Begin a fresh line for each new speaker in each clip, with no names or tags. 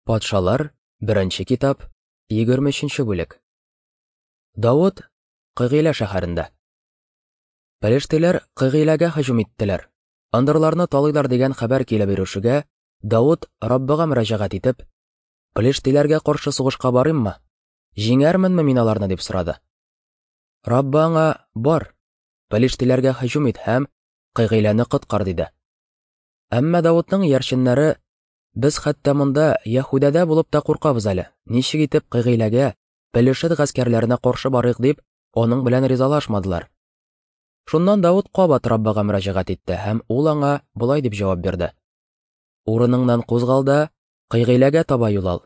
Патшалар, беренче китап, 23 бүлек. Давыт Кыгыйлә шәһәрендә. Пелештиләр Кыгыйләгә һөҗүм иттеләр. Ындырларны талыйлар дигән хәбәр килеп ирешүгә, Давыт Раббыга мөрәҗәгать итеп, Пелештиләргә каршы сугышка барыйммы? Җиңәрменме мин аларны дип сорады. Раббы аңа, бар, пелештиләргә һөҗүм ит һәм Кыгыйләне коткар диде. Әмма Давытның иярченнәре Без хәтта монда Яһүдәдә булып та куркабыз әле. Ничек итеп Кыгыйләгә, Пелешет гаскәрләренә каршы барыйк дип, аның белән ризалашмадылар. Шуннан Давыт кабат Раббыга мөрәҗәгать итте һәм ул аңа болай дип җавап бирде. Урыныңнан кузгал да, Кыйгыйләгә таба юл ал.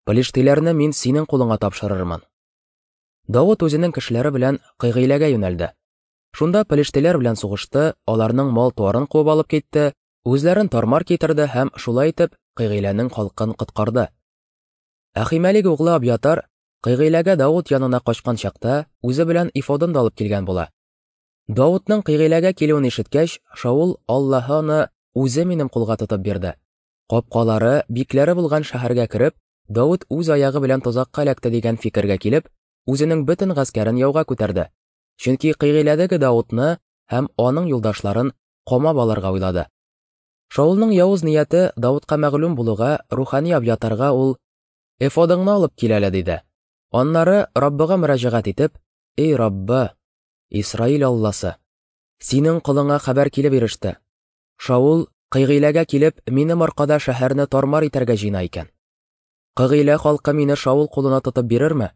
Пелештиләрне мин синең кулыңа тапшырырмын. Давыт үзенең кешеләре белән Кыйгыйләгә юнәлде. Шунда пелештиләр белән сугышты, аларның мал-туарын куып алып китте, Үзләрен тармар китерде һәм шулай итеп Кыйгыйләнең халкын коткарды. Әхимәлик углы Абьятар Кыйгыйләгә Давыт янына качкан чакта үзе белән Ифодын да алып килгән була. Давытның Кыйгыйләгә килүен ишеткәч, Шаул Аллаһы аны үзе минем кулга тотып бирде. Капкалары, бикләре булган шәһәргә кереп, Давыт үз аягы белән тозакка эләкте дигән фикергә килеп, үзенең бөтен гаскәрен яуга күтәрде. Чөнки Кыйгыйләдәге Давытны һәм аның юлдашларын камап алырга уйлады. Шаулның явыз нияте Давытка мәгълүм булуга, рухани Абьятарга ул: "Эфодыңны алып кил әле", диде. Аннары Раббыга мөрәҗәгать итеп: "Эй Раббы, Исраил Алласы, синең колыңа хәбәр килеп иреште. Шаул Кыйгыйләгә килеп, минем аркада шәһәрне тармар итәргә җыена икән. Кыгыйлә халкы мине Шаул кулына тотып бирерме?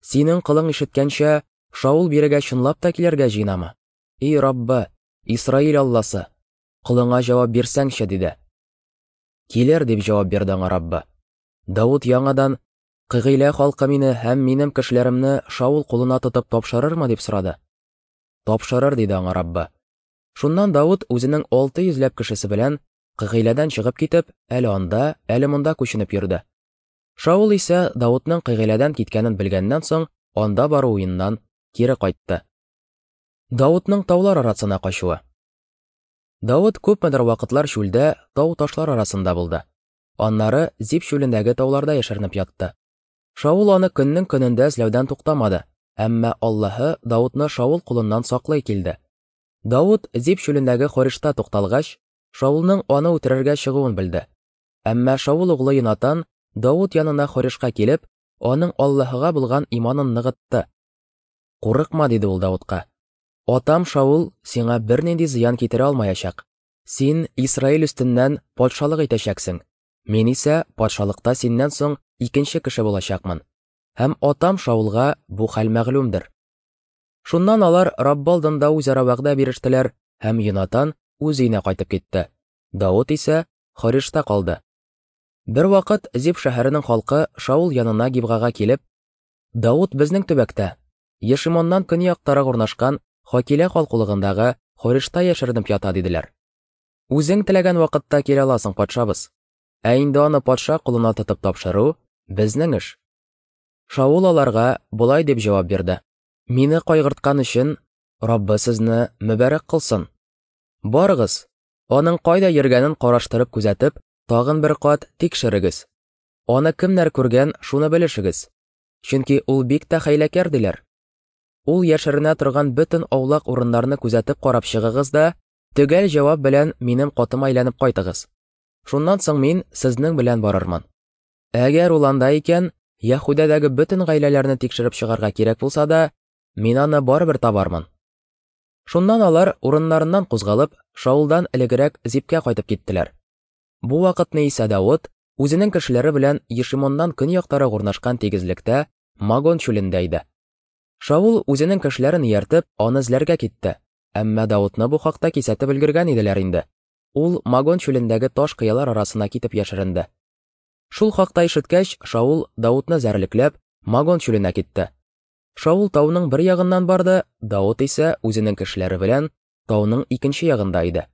Синең колың ишеткәнчә, Шаул бирегә чынлап та килергә җыенамы? Эй Раббы, Исраил Алласы, колыңа җавап бирсәңче, диде. Килер, дип җавап бирде аңа Раббы. Давыт яңадан, Кыгыйлә халкы мине һәм минем кешеләремне Шаул кулына тотып тапшырырмы, дип сорады. Тапшырыр, диде аңа Раббы. Шуннан Давыт үзенең 600 ләп кешесе белән Кыгыйләдән чыгып китеп, әле анда, әле монда күченеп йөрде. Шаул исә Давытның Кыгыйләдән киткәнен белгәннән соң, анда бару уеннан кире кайтты. Давытның таулар арасына качуы. Давыт күпмедер вакытлар чүлдә тау-ташлар арасында булды. Аннары Зип чүлендәге тауларда яшеренеп ятты. Шаул аны көннең көнендә эзләүдән туктамады, әмма Аллаһы Давытны Шаул кулыннан саклый килде. Давыт Зип чүлендәге Хоришта тукталгач, Шаулның аны үтерергә чыгуын белде. Әмма Шаул углы Йонатан Давыт янына Хоришка килеп, аның Аллаһыга булган иманын ныгытты. Курыкма, диде ул Давытка. Атам Шаул сиңа бернинди зыян китерә алмаячак. Син Исраил өстеннән патшалык итәчәксең. Мин исә патшалыкта синнән соң икенче кеше булачакмын. Һәм атам Шаулга бу хәл мәгълүмдер. Шуннан алар Раббы алдында үзара вәгъдә бирештеләр, һәм Йонатан үз өенә кайтып китте. Давыт исә Хоришта калды. Бервакыт Зип шәһәренең халкы Шаул янына Гибгага килеп, Давыт безнең төбәктә, Ешимоннан көньяктарак урнашкан Хакилә калкулыгындагы Хоришта яшеренеп ята, диделәр. Үзең теләгән вакытта килә аласың, патшабыз. Ә инде аны патша кулына тотып тапшыру безнең эш. Шаул аларга болай дип җавап бирде: Мине кайгырткан өчен Раббы сезне мөбарәк кылсын. Барыгыз, аның кайда йөргәнен караштырып күзәтеп, тагын бер кат тикшерегез. Аны кемнәр күргән, шуны белешегез. Чөнки ул бик тә хәйләкәр, диләр. Ул яшеренә торган бөтен аулак урыннарны күзәтеп карап чыгыгыз да, төгәл җавап белән минем катыма әйләнеп кайтыгыз. Шуннан соң мин сезнең белән барырмын. Әгәр ул анда икән, Яһүдәдәге бөтен гаиләләрне тикшереп чыгарга кирәк булса да, мин аны барыбер табармын. Шуннан алар урыннарыннан кузгалып, Шаулдан элегрәк Зипкә кайтып киттеләр. Бу вакытны исә Давыт үзенең кешеләре белән Ешимоннан көньяктарак урнашкан тигезлектә Магон чүлендә иде. Шаул үзенең кешеләрен ияртеп, аны эзләргә китте. Әмма Давытны бу хакта кисәтеп өлгергән иделәр инде. Ул Магон чүлендәге таш кыялар арасына китеп яшеренде. Шул хакта ишеткәч, Шаул Давытны зәрлекләп, Магон чүленә китте. Шаул тауның бер ягыннан барды, Давыт исә үзенең кешеләре белән тауның икенче ягында иде.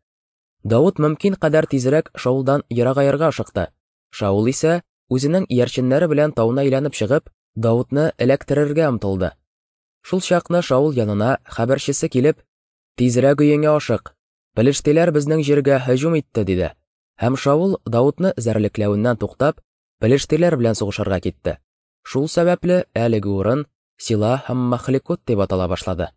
Давыт мөмкин кадәр тизрәк Шаулдан ерагаерга ашыкты. Шаул исә, үзенең иярченнәре белән тауны әйләнеп чыгып, Давытны эләктерергә омтылды. Шул чакны Шаул янына хәбәрчесе килеп, Тизрәк өеңә ашык, пелештиләр безнең җиргә һөҗүм итте, диде. Һәм Шаул Давытны эзәрлекләвеннән туктап, пелештиләр белән сугышырга китте. Шул сәбәпле әлеге урын Сила һәм Махлекот дип атала башлады.